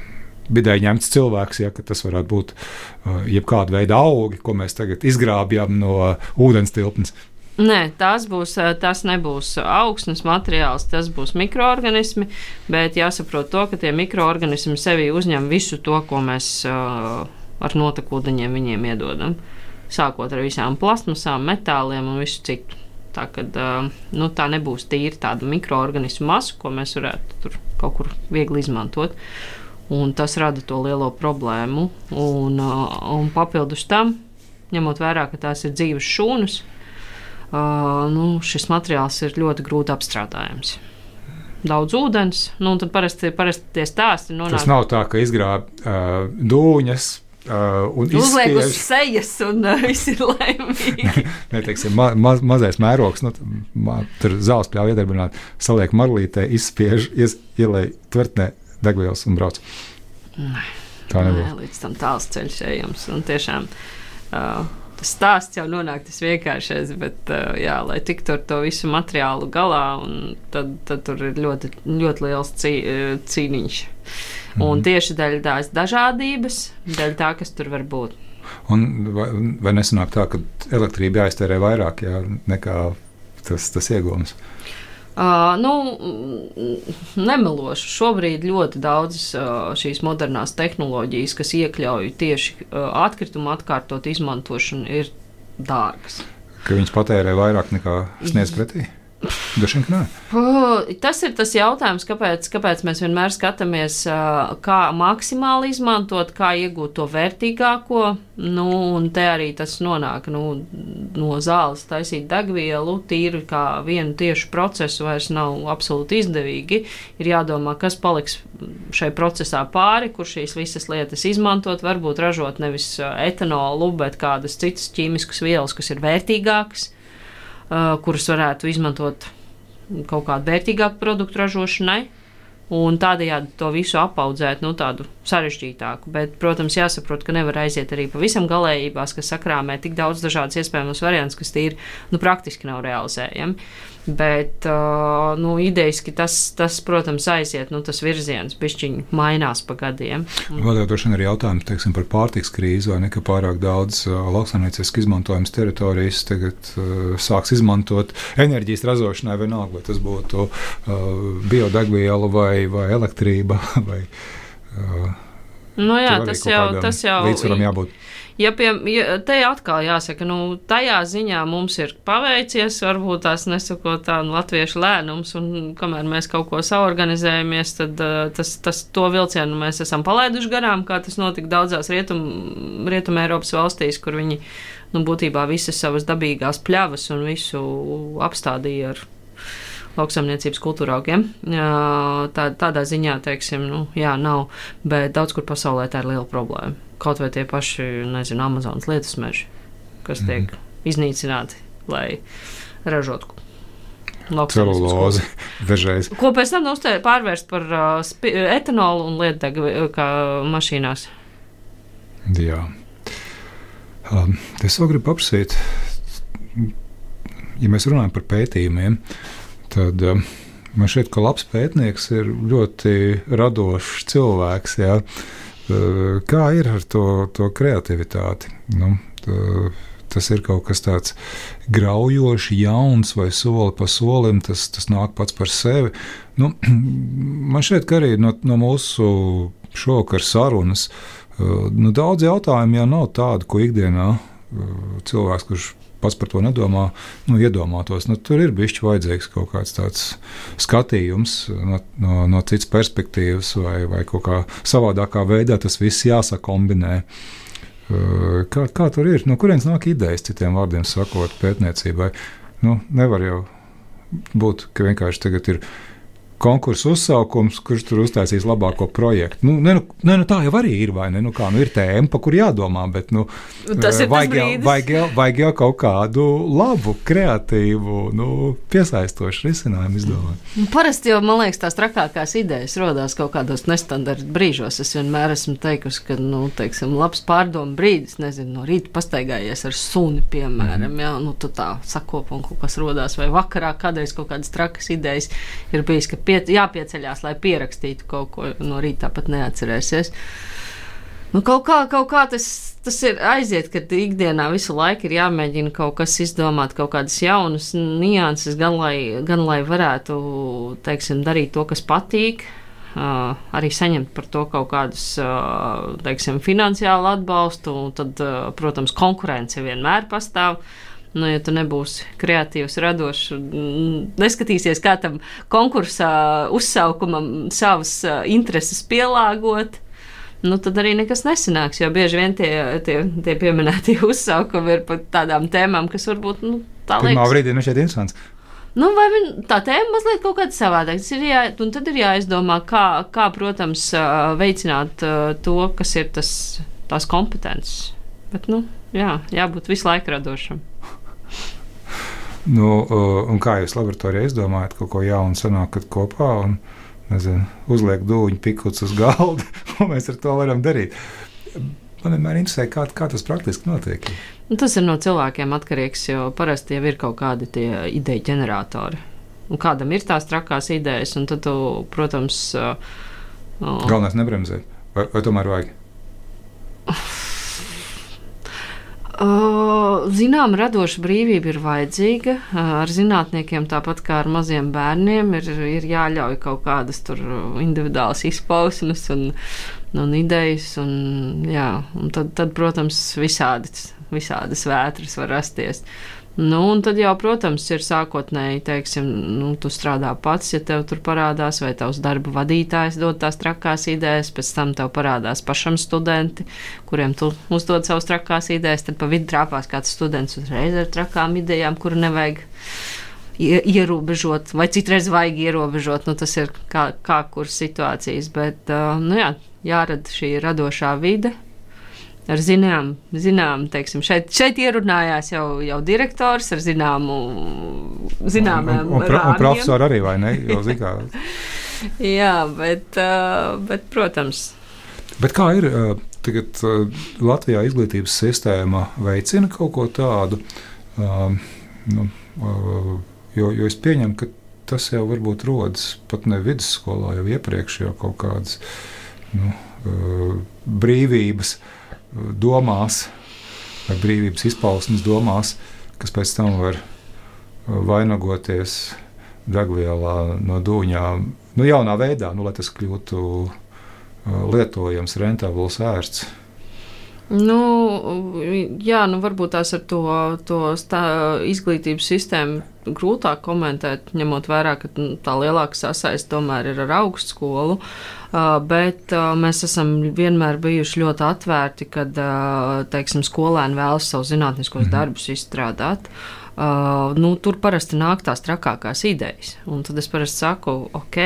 bidēji ņemts cilvēks, ja, ka tas varētu būt uh, jebkāda veida augi, ko mēs tagad izgrābjam no uh, ūdens tilpnes. Nē, tas, būs, tas nebūs augsnes materiāls, tas būs mikroorganismi, bet jāsaprot to, ka tie mikroorganismi sevī uzņem visu to, ko mēs uh, ar notekūdeņiem viņiem iedodam. Sākot ar visām plastmasām, metāliem un visu citu. Tā, kad, uh, nu, tā nebūs tīri tāda mikroorganismu masa, ko mēs varētu tur kaut kur viegli izmantot. Un tas rada to lielo problēmu. Un, uh, un papildus tam, ņemot vērā, ka tās ir dzīves šūnas, Uh, nu, šis materiāls ir ļoti grūti apstrādājams. Daudz ūdens, nu, un tad parasti, parasti tie stāsti nonāk. Tas nav tā, ka izgrāb uh, dūņas uh, un uzliek uz sejas un uh, viss ir laimīgi. Nē, teiksim, ma, ma, mazais mērogs, nu, ma, tur zāles pļauj iedarbināt, saliek marlītē, izspiež, ies, ielej tvertnē degvielas un brauc. Nē, tā nebūs. Nē, līdz tam tāls ceļš ejams, un tiešām uh, tas stāsts jau nonāk tas vienkāršais, bet uh, jā, lai tiktu ar to visu materiālu galā, un tad, tad tur ir ļoti, ļoti liels cī, cīniņš. Mm. Un tieši dēļ tās dažādības, dēļ tā, kas tur var būt. Un vai, vai nesanāk tā, ka elektrība jāiztērē vairāk jā, nekā tas, tas iegūms? Uh, nu, nemelošu. Šobrīd ļoti daudzas uh, šīs modernās tehnoloģijas, kas iekļauj tieši uh, atkritumu atkārtot izmantošanu, ir dārgas. Ka viņas patērē vairāk nekā sniedz pretī? Droši vien, ka nē. Uh, tas ir tas jautājums, kāpēc, kāpēc mēs vienmēr skatāmies, uh, kā maksimāli izmantot, kā iegūt to vērtīgāko. Nu, un te arī tas nonāk nu, no zāles taisīt degvielu, tīri kā vienu tiešu procesu vairs nav absolūti izdevīgi. Ir jādomā, kas paliks šai procesā pāri, kur šīs visas lietas izmantot, varbūt ražot nevis etanolu, bet kādas citas ķīmiskas vielas, kas ir vērtīgākas, uh, kuras varētu izmantot kaut kādu vērtīgāku produktu ražošanai, un tādējādi to visu apaudzēt, nu, tādu sarežģītāku. Bet, protams, jāsaprot, ka nevar aiziet arī pavisam galējībās, kas sakrāmē tik daudz dažādas iespējamos variants, kas tīri, nu, praktiski nav realizējami. Bet, uh, nu, idejiski tas, tas, protams, aiziet, nu, tas virziens bišķiņi mainās pa gadiem. Vēl jau droši vien arī jautājums, teiksim, par pārtiks krīzi, vai ne, ka pārāk daudz uh, lauksaimnieciski izmantojams teritorijas tagad uh, sāks izmantot enerģijas ražošanai vienalga, vai tas būtu uh, biodegviela vai, vai elektrība, vai... Uh, nu jā, tas jau, tas jau... Līdzsvaram jābūt. Ja pie, ja, te atkal jāsaka, nu, tajā ziņā mums ir paveicies, varbūt tās nesakot tā nu, latviešu lēnums, un kamēr mēs kaut ko saorganizējamies, tad uh, tas, tas to vilcienu mēs esam palaiduši garām, kā tas notika daudzās rietum, rietum Eiropas valstīs, kur viņi, nu, būtībā visas savas dabīgās pļavas un visu apstādīja ar lauksaimniecības kultūraugiem. Tā, tādā ziņā, teiksim, nu, jā, nav, bet daudz kur pasaulē tā ir liela problēma. Kaut vai tie paši, nezinu, Amazonas lietusmeži, kas tiek mm. iznīcināti, lai ražotu celulozi dažreiz. Ko pēc tam uztē, pārvērst par uh, spi, etanolu un lietdegu kā mašīnās. Jā. Um, es vēl gribu paprasīt, ja mēs runājam par pētījumiem, tad um, man šķiet, ka labs pētnieks ir ļoti radošs cilvēks, jā. Uh, kā ir ar to, to kreativitāti? Nu, tā, tas ir kaut kas tāds graujošs, jauns vai soli pa solim, tas, tas nāk pats par sevi. Nu, man šķiet, ka arī no, no mūsu šovakar sarunas uh, nu, daudz jautājumu jau nav tādu, ko ikdienā uh, cilvēks, kurš pats par to nedomā, nu, iedomātos. Nu, tur ir bišķi vajadzīgs kaut kāds tāds skatījums no, no, no citas perspektīvas vai, vai kaut kā savādākā veidā tas viss jāsakombinē. Kā, kā tur ir? No kurienes nāk idejas, citiem vārdiem sakot, pētniecībai? Nu, nevar jau būt, ka vienkārši tagad ir konkursu uzsaukums, kurš tur uztaisīs labāko projektu. Nu, ne, ne, nu, tā jau arī ir, vai ne? Nu, kā, nu, ir tēma, pa kur jādomā, bet nu, tas ir vajag, tas jau, vajag, jau, vajag jau kaut kādu labu, kreatīvu, nu, piesaistošu risinājumu izdomāt. Nu, parasti jau, man liekas, tās trakākās idejas rodās kaut kādos nestandarta brīžos. Es vienmēr esmu teikusi, ka, nu, teiksim, labs pārdomu brīdis, nezinu, no rīta pastaigājies ar suni, piemēram, mm. jā, nu, tu tā sakopa un kaut kas rodās, vai vakarā kādreiz kaut kādas trakas idejas ir bijis, ka Pie, jāpieceļās, lai pierakstītu kaut ko no rīta, tāpat neatcerēsies. Nu, kaut kā, kaut kā tas, tas ir aiziet, kad ikdienā visu laiku ir jāmēģina kaut kas izdomāt, kaut kādas jaunas nianses, gan lai, gan lai varētu, teiksim, darīt to, kas patīk, uh, arī saņemt par to kaut kādus, uh, teiksim, finansiālu atbalstu, un tad, uh, protams, konkurence vienmēr pastāv. Nu, ja tu nebūsi kreatīvs, radošs, neskatīsies, kā tam konkursā uzsaukumam savas intereses pielāgot, nu, tad arī nekas nesanāks, jo bieži vien tie, tie, tie pieminētie uzsaukumi ir par tādām tēmām, kas varbūt, nu, tā liekas. Pirmā brīdī nešķiet interesants. Nu, vai vien, tā tēma mazliet kaut kāda savādāk. Jā, un tad ir jāizdomā, kā, kā, protams, veicināt to, kas ir tas, tās kompetences. Bet, nu, jā, jābūt visu laiku radošam. Nu, un kā jūs laboratorijā izdomājat kaut ko jaunu sanākat kopā un, nezinu, uzliek dūņu pikuts uz galda, un mēs ar to varam darīt? Man vienmēr interesē, kā, kā tas praktiski notiek. Nu, tas ir no cilvēkiem atkarīgs, jo parasti jau ir kaut kādi tie ideju ģeneratori. Un kādam ir tās trakās idejas, un tad tu, protams... Uh, Galvenais nebremzēt. Vai, vai tomēr vajag? Zinām, radoša brīvība ir vajadzīga. Ar zinātniekiem, tāpat kā ar maziem bērniem, ir, ir jāļauj kaut kādas tur individuālas izpausmes un, un idejas. Un, jā, un tad, tad, protams, visādi, visādas vētras var rasties. Nu, un tad jau, protams, ir sākotnēji, teiksim, nu, tu strādā pats, ja tev tur parādās, vai tavs darba vadītājs dod tās trakās idejas, pēc tam tev parādās pašam studenti, kuriem tu uzdod savus trakās idejas, tad pa vidu trāpās kāds students uzreiz ar trakām idejām, kuru nevajag ierobežot, vai citreiz vajag ierobežot, nu, tas ir kā, kā kuras situācijas, bet, uh, nu jā, jārada šī radošā vide. Ar zinām, zinām teiksim, šeit, šeit ierunājās jau, jau direktors ar zināmu, zināmām un, un, un, un profesori arī, vai ne? Jau zikā. Jā, bet, uh, bet, protams. Bet kā ir, uh, tagad uh, Latvijā izglītības sistēma veicina kaut ko tādu, uh, nu, uh, jo, jo es pieņemu, ka tas jau varbūt rodas pat ne vidusskolā, jau iepriekš jau kaut kādas nu, uh, brīvības domās, vai brīvības izpausmes domās, kas pēc tam var vainagoties degvielā no dūņām, nu jaunā veidā, nu, lai tas kļūtu lietojams, rentabls ērts. Nu, jā, nu varbūt tās ar to, to stā, izglītības sistēmu grūtāk komentēt, ņemot vērā, ka tā lielāka sasaiste tomēr ir ar augstskolu, uh, bet uh, mēs esam vienmēr bijuši ļoti atvērti, kad, uh, teiksim, skolēni vēlas savus zinātniskos mm-hmm. darbus izstrādāt. Uh, nu, tur parasti nāk tās trakākās idejas. Un tad es parasti saku, ok,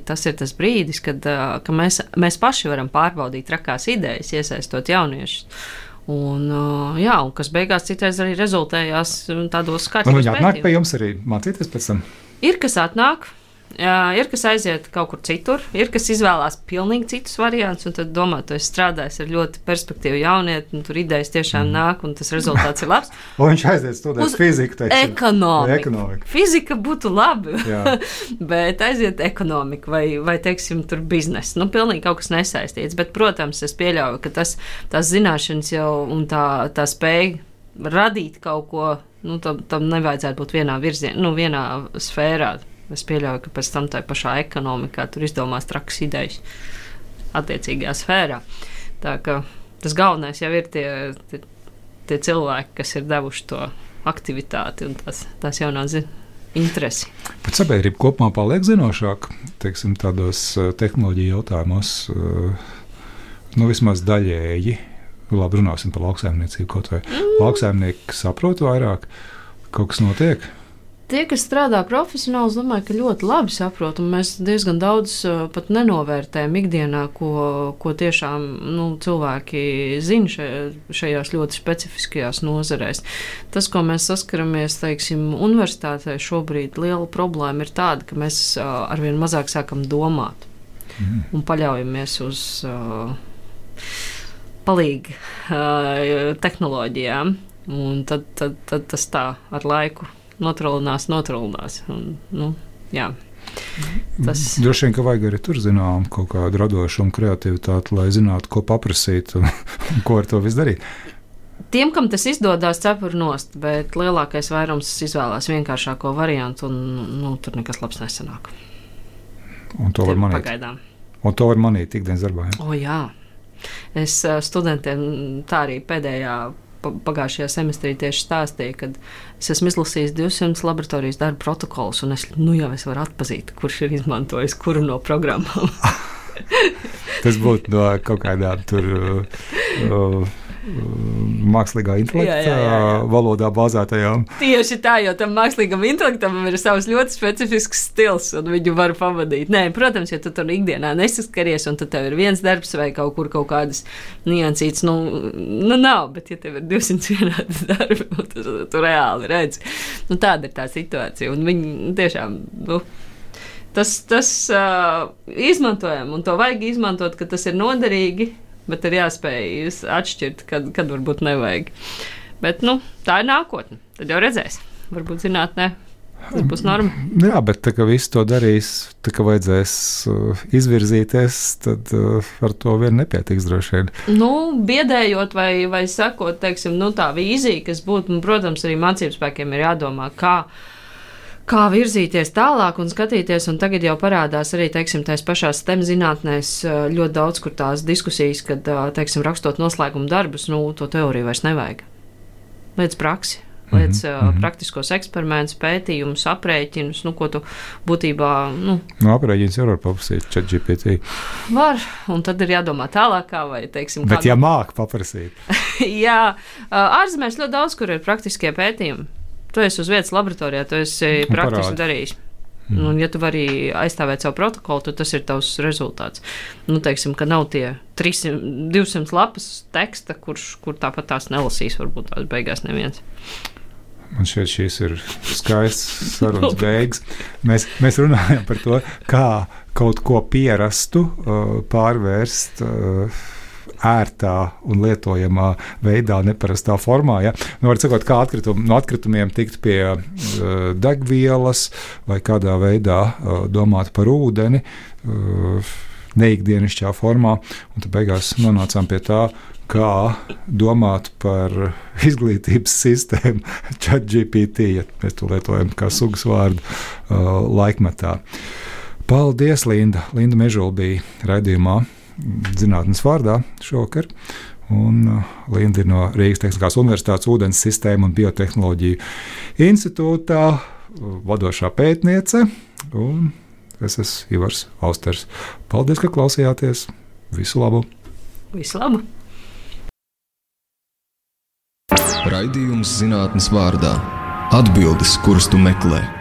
tas ir tas brīdis, kad uh, ka mēs, mēs paši varam pārbaudīt trakās idejas, iesaistot jauniešus. Un, uh, jā, un kas beigās citreiz arī rezultējās tādos kārtībos pētījumos. Un viņi atnāk pie jums arī mācīties pēc tam? Ir, kas atnāk. Jā, ir, kas aiziet kaut kur citur, ir, kas izvēlās pilnīgi citus variantus, un tad domā, tu esi strādājis ar ļoti perspektīvu jaunieti, un tur idejas tiešām nāk, un tas rezultāts ir labs. Un viņš aiziet studēt uz fiziku, teiksim. Ekonomiku. Ekonomiku. Fizika būtu labi, bet aiziet ekonomiku vai, vai, teiksim, tur biznesu. Nu, pilnīgi kaut kas nesaistīts, bet, protams, es pieļauju, ka tas, tās zināšanas jau un tā, tā spēja radīt kaut ko, nu, tam, tam nevajadzētu būt vienā virzienā, nu, vienā sfērā. Es pieļauju, ka pēc tam tā pašā ekonomikā tur izdomās trakas idejas attiecīgajā sfērā. Tā ka tas galvenais jau ir tie, tie, tie cilvēki, kas ir devuši to aktivitāti un tās, tās jaunās interesi. Bet sabiedrība kopumā paliek zinošāk, teiksim, tādos tehnoloģiju jautājumos, nu vismaz daļēji. Labi, runāsim par lauksaimniecību kaut vai. Mm. Lauksaimnieki saprot vairāk, kaut kas notiek. Tie, kas strādā profesionāli, es domāju, ka ļoti labi saprot, un mēs diezgan daudz pat nenovērtējam ikdienā, ko, ko tiešām nu, cilvēki zina šajās ļoti specifiskajās nozarēs. Tas, ko mēs saskaramies, teiksim, universitātē šobrīd, liela problēma ir tāda, ka mēs arvien mazāk sākam domāt mm. un paļaujamies uz uh, palīgu uh, tehnoloģijām, un tad, tad, tad tas tā ar laiku notralinās, notralinās. Un, nu, jā. Tas... Droši vien, ka vajag arī tur zinām kaut kādu radošumu, kreativitāti, lai zinātu, ko paprasīt un, un ko ar to visu darīt. Tiem, kam tas izdodās, cepur nost, bet lielākais vairums izvēlās vienkāršāko variantu un nu, tur nekas labs nesanāk. Un to var manīt. Pagaidām. Un to var manīt ikdienas darbā. Ja? O jā. Es studentiem tā arī pēdējā pagājušajā semestrī tieši stāstīja, kad es esmu izlasījis divsimt laboratorijas darba protokolus, un es, nu jau es varu atpazīt, kurš ir izmantojis kuru no programmām. Tas būtu no kaut kādām tur uh, mākslīgā intelekta jā, jā, jā, jā. valodā bāzētajām. Tieši tā, jo tam mākslīgam intelektam ir savs ļoti specifisks stils, un viņu var pavadīt. Nē, protams, ja tu tur ikdienā nesaskaries, un tad tev ir viens darbs vai kaut kur kaut kādas niansītas, nu, nu nav, bet ja tev ir divsimt vienādas darbi, tu, tu reāli redzi. Nu, tāda ir tā situācija, un viņi tiešām, nu, tas, tas uh, izmantojam, un to vajag izmantot, ka tas ir noderīgi, bet ir jāspēj atšķirt, kad, kad varbūt nevajag. Bet, nu, tā ir nākotne. Tad jau redzēs. Varbūt zinātnē tas būs norma. Jā, bet tā kā visu to darīs, tā kā vajadzēs uh, izvirzīties, tad uh, ar to vien nepietiks droši vien. Nu, biedējot vai, vai sakot, teiksim, nu, tā vīzija, kas būtu, un, protams, arī mācību spēkiem ir jādomā, kā kā virzīties tālāk un skatīties, un tagad jau parādās arī, teiksim, tās pašās STEM zinātnēs ļoti daudz, kur tās diskusijas, kad, teiksim, rakstot noslēguma darbus, nu, to teoriju vairs nevajag. Līdz praksi. Liec mm-hmm. uh, praktiskos eksperimentus, pētījumus, aprēķinus, nu, ko tu būtībā... Nu, no aprēķins jau var paprasīt ChatGPT. Var, un tad ir jādomā tālākā, vai, teiksim... Bet kādu... ja māk paprasīt. Jā, ārzemēs ļoti daudz, kur ir praktiskie pētījumi. Tu esi uz vietas laboratorijā, tu esi un praktiski parādi. darījis. Mm. Un, ja tu vari aizstāvēt savu protokolu, tad tas ir tavs rezultāts. Nu, teiksim, ka nav tie trīssimt, divsimt lapas teksta, kurš, kur tāpat tās nelasīs, varbūt tās beigās neviens. Man šķiet, šīs ir skaists sarunas beigas. Mēs, mēs runājam par to, kā kaut ko pierastu uh, pārvērst uh, ērtā un lietojamā veidā, neparastā formā. Ja? Nu, var sakot, kā atkritum, no atkritumiem tikt pie uh, degvielas vai kādā veidā uh, domāt par ūdeni uh, neikdienišķā formā, un tad beigās nonācām pie tā, kā domāt par izglītības sistēmu ChatGPT, ja mēs to lietojam kā sugas vārdu uh, laikmetā. Paldies, Linda! Linda Mežula bija raidījumā Zinātnes vārdā šovakar. Un uh, Linda ir no Rīgas Tehniskās Universitātes ūdens sistēmu un biotehnoloģiju institūtā uh, vadošā pētniece. Un es esmu Ivars Austers. Paldies, ka klausījāties. Visu labu! Visu labu! Raidījums Zinātnes vārdā. Atbildes, kuras tu meklē.